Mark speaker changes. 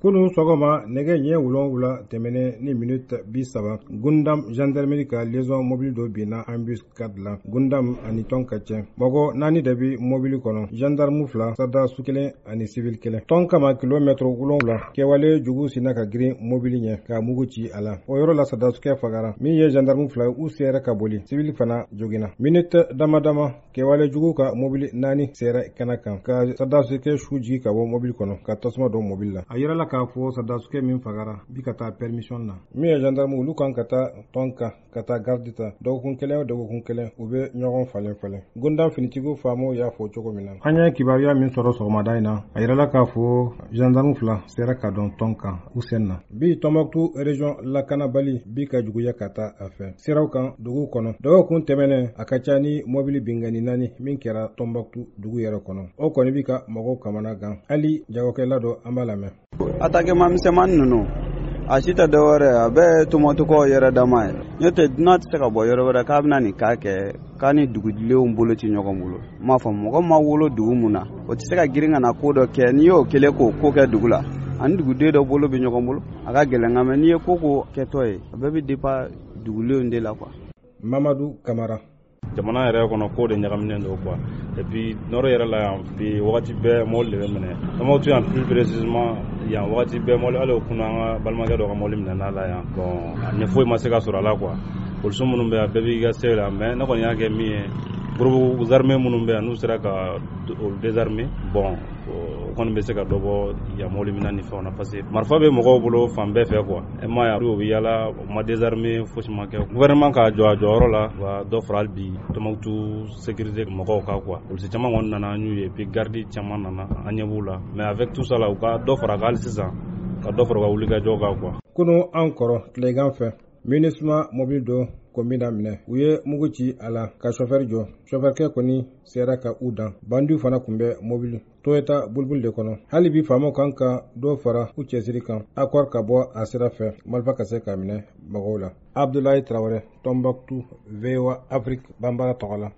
Speaker 1: Kunu sɔgɔma nɛgɛ ɲɛ 7 tɛmɛnen ni minute 30, Gundam gendarmerie ka liaison mobili dɔ binna embuscade la Gundam ani Tonka cɛ. Mɔgɔ 4 de bi mobili kɔnɔ, gendarme 2, sɔrɔdasi 1 ani civil 1. Tonka ma kilomɛtɛrɛ 7, kɛwale jugu sinna ka girin mobili ɲɛ ka mugu ci a la. O yɔrɔ la sɔrɔdasikɛ fagara. Min ye gendarme 2 u sera ka boli, civil fana joginna. Minute dama dama, kɛwale jugu ka mobili 4 sera kɛnɛ kan ka sɔrɔdasikɛ su jigin ka bɔ mobili kɔnɔ ka tasuma don mobili la. A yirala k'a fɔ sɔrɔdasikɛ min fagara bi ka taa permission na. Min ye gendarme olu kan ka taa Tonka ka taa garde ta dɔgɔkun kelen o dɔgɔkun kelen, u bɛ ɲɔgɔn falen falen. Gundam finitigiw faamaw y'a fɔ cogo min na. An ye kibaruya min sɔrɔ sɔgɔmada in na, a yirala k'a fɔ gendarme 2 sera ka don Tonka u sen na. Bi Tombouctou région lakanabali bi ka juguya ka taa a fɛ siraw kan dugu kɔnɔ. Dɔgɔkun tɛmɛnen, a ka ca ni mobili binkanni 4 min kɛra Tombouctou dugu yɛrɛ kɔnɔ. O kɔni bi ka mɔgɔw kamana gan. Hali jagokɛla dɔ, an b'a lamɛn.
Speaker 2: Attaque misɛnmanin ninnu, a si tɛ dɔwɛrɛ, a bɛɛ ye Tombouctoukaw yɛrɛ dama ye. N'o tɛ, dunan tɛ se ka bɔ yɔrɔ wɛrɛ k'a bɛna nin k'a kɛ k'a ni dugudenw bolo tɛ ɲɔgɔn bolo. N m'a fɔ mɔgɔ ma wolo dugu mun na, o tɛ se ka girin ka na ko dɔ kɛ. N'i y'o kelen k'o ko kɛ dugu la, ani duguden dɔ bolo bɛ ɲɔgɔn bolo, a ka gɛlɛn. Nka mɛ n'i ye ko ko kɛtɔ ye, a bɛɛ bɛ dépend dugulenw de la quoi.
Speaker 1: Mamadu Kamara.
Speaker 3: Jamana yɛrɛ kɔnɔ, ko de ɲagaminen don quoi. Et puis nord yɛrɛ la yan bi, wagati bɛɛ mobili de bɛ minɛ Tombouctou yan, plus précisément yan. Wagati bɛɛ mobili, hali o kunun, an ka balimakɛ dɔ ka mobili minɛna la yan. Bon, a ɲɛ foyi ma se ka sɔrɔ a la quoi. Polisiw minnu bɛ yan, bɛɛ b'i ka se la. Mais ne kɔni y'a kɛ min ye, groupe armé minnu bɛ yan, n'u sera ka olu désarmer, bon, o kɔni bɛ se ka dɔ bɔ yan mobili minɛ ni fɛnw na, parce que marifa bɛ mɔgɔw bolo fan bɛɛ fɛ quoi. E ma ye, u bɛ yala, u ma désarmer, fosi ma kɛ. Gouvernement ka jɔ a jɔyɔrɔ la, wa dɔ fara hali bi Tombouctou sécurité mɔgɔw kan quoi. Polisi caman kɔni nana, an y'u ye, puis garde caman nana, an ɲɛ b'u la. Mais avec tout ça là, u ka dɔ fara hali sisan, ka dɔ fara u ka wulikajɔ kan quoi.
Speaker 1: Kunu an kɔrɔ tilegan fɛ, MINUSMA mobili dɔ kɔnbina minɛ, u ye mugu ci a la ka chauffeur jɔ. Chauffeurkɛ kɔni sera ka u dan. Bandiw fana tun bɛ mobili Toyota bulbul de kɔnɔ. Hali bi faamaw kan ka dɔ fara u cɛsiri kan, accord ka bɔ a sira fɛ, marifa ka se ka minɛ mɔgɔw la. Abdoulaye Traoré, Tombouctou, VOA Afrique Bambara tɔgɔ la.